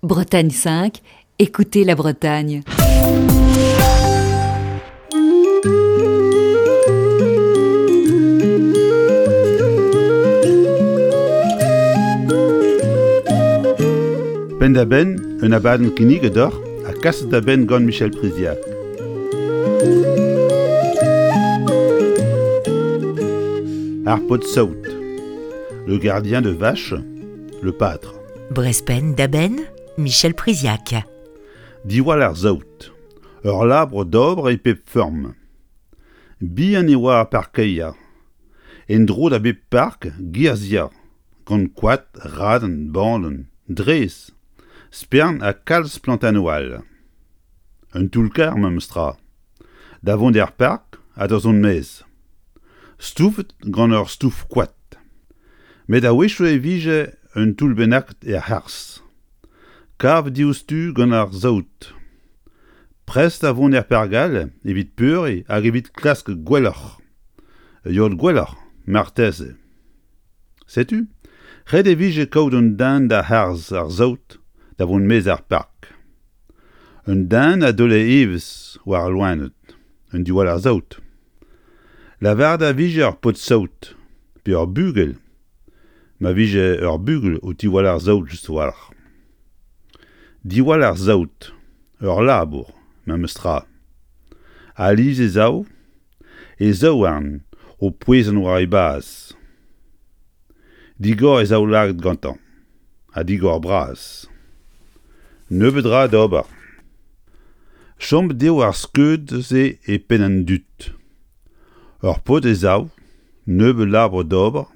Bretagne 5, écoutez la Bretagne. Penn-da-benn un abadenn kinniget deoc'h ha kaset da benn gant Michel Priziac. Ar paotr-saout, le gardien de vache, le pâtre. Brezpenn da benn, Michel Priziac. Diwall ar saout, ur labour d'ober e pep feurm. Bihan e oa ar parkeier. En-dro da bep park girzhier, gant koad, raden, bandenn, drez, spern ha kalz plantennoù all. Un toull-karr memes tra. Da vont er park ha da zont maez. Stoufet gant ur stouf koad. Met a-wechoù e vije un toull bennak er c'harzh. Kavet diouzhtu gant ar saout. Prest da vont er park all evit peuriñ hag evit klask gwelloc'h. Yod gwelloc'h, marteze. Setu, ret e vije kaout un den da harz ar saout da vont maez ar park. Un den a daole evezh war al loened, un diwall ar saout. Lavaret a vije ur paotr-saout pe ur bugel ma vije ur bugel o tiwall ar saout just a-walc'h. Diwall ar saout, ur labour, memes tra. Alies e sav e zaouarn o pouezañ war e baz. Digor e zaoulagad gantañ, ha digor bras. Nebeut 'ra d'ober. Chomet eo ar skeud-se e penn an dud. Ur paotr e sav, nebeut labour d'ober,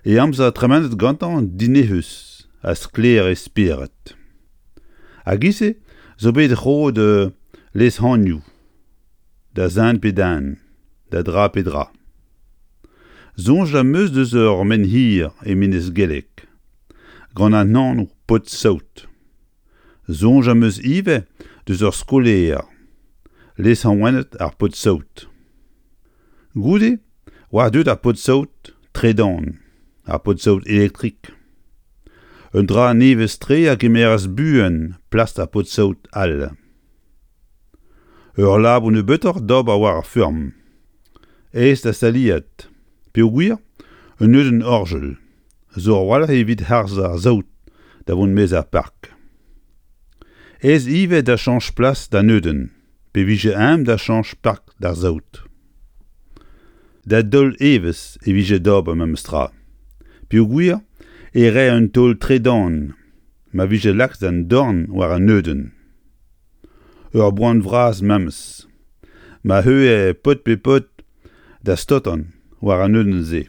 e amzer tremenet gantañ dinec'hus ha sklaer e spered. Hag e-se zo bet roet lezhanioù da zen pe den, da dra pe dra. Soñj am eus deus ur menhir e Menez Gelleg, gant an anv Paotr-Saout. Soñj am eus ivez deus ur skolaer, lesanvet ar Paotr-Saout. Goude oa deuet ar paotr-saout tredan, ar paotr-saout elektrik. Un dra nevez-tre a gemeras buan plas ar paotr-saout all. Ur labour nebeutoc'h d'ober war ar feurm. Aes da staliad, peogwir un neudenn orjal zo a-walc'h evit harz ar saout da vont maez ar park. Aes ivez da chañch plas da neudenn, pe vije eñ da chañch park d'ar saout. Da daol evezh e vije d'ober memes tra, peogwir e rae un taol tredan ma vije lakaet an dorn war an neudenn. Ur boan vras memes, ma heuilhe paotr pe paotr da staotañ war an neudenn-se.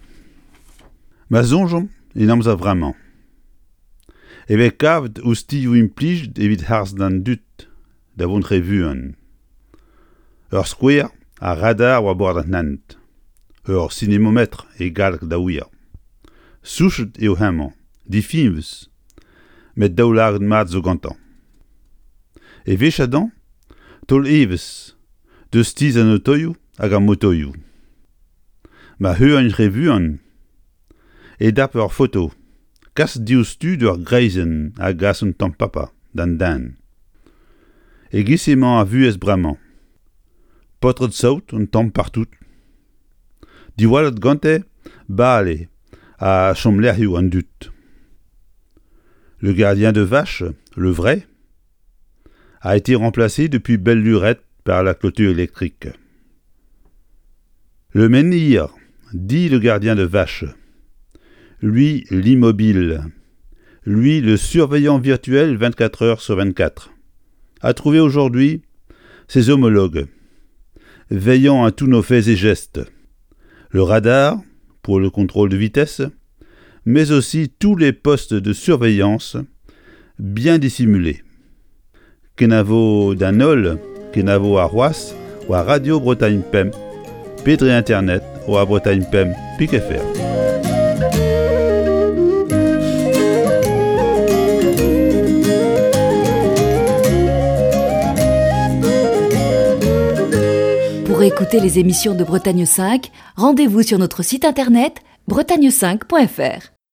Ma soñjomp en amzer vremañ e vez kavet oustilhoù implijet evit harz d'an dud da vont re vuan. Ur skouer, ar radar war bord an hent, ur sinemometr e galleg da wir. Souchet eo hemañ, difiñvus, met daoulagad mat zo gantañ. Eveshañ taol evezh deus tizh an otoioù hag ar motoioù. Ma heuagn re vuan e dap ur foto kas diouzhtu d'ur greizenn a gas un tamm papa d'an den. E-giz emañ ar vuhez bremañ. Paotred-saout un tamm partout. Diwallet gante bale ha chomlec'hioù an dud. Le gardien de vache, le vrai, a été remplacé depuis belle lurette par la clôture électrique. Le menhir, dit le gardien de vache, lui l'immobile, lui le surveillant virtuel 24 heures sur 24, a trouvé aujourd'hui ses homologues, veillant à tous nos faits et gestes. Le radar, pour le contrôle de vitesse, mais aussi tous les postes de surveillance bien dissimulés. Kenavo d'an holl, kenavo arc'hoazh war Radio Bretagne Pemp pe dre internet war Bretagne Pemp pik fr. Pour écouter les émissions de Bretagne 5, rendez-vous sur notre site internet bretagne5.fr.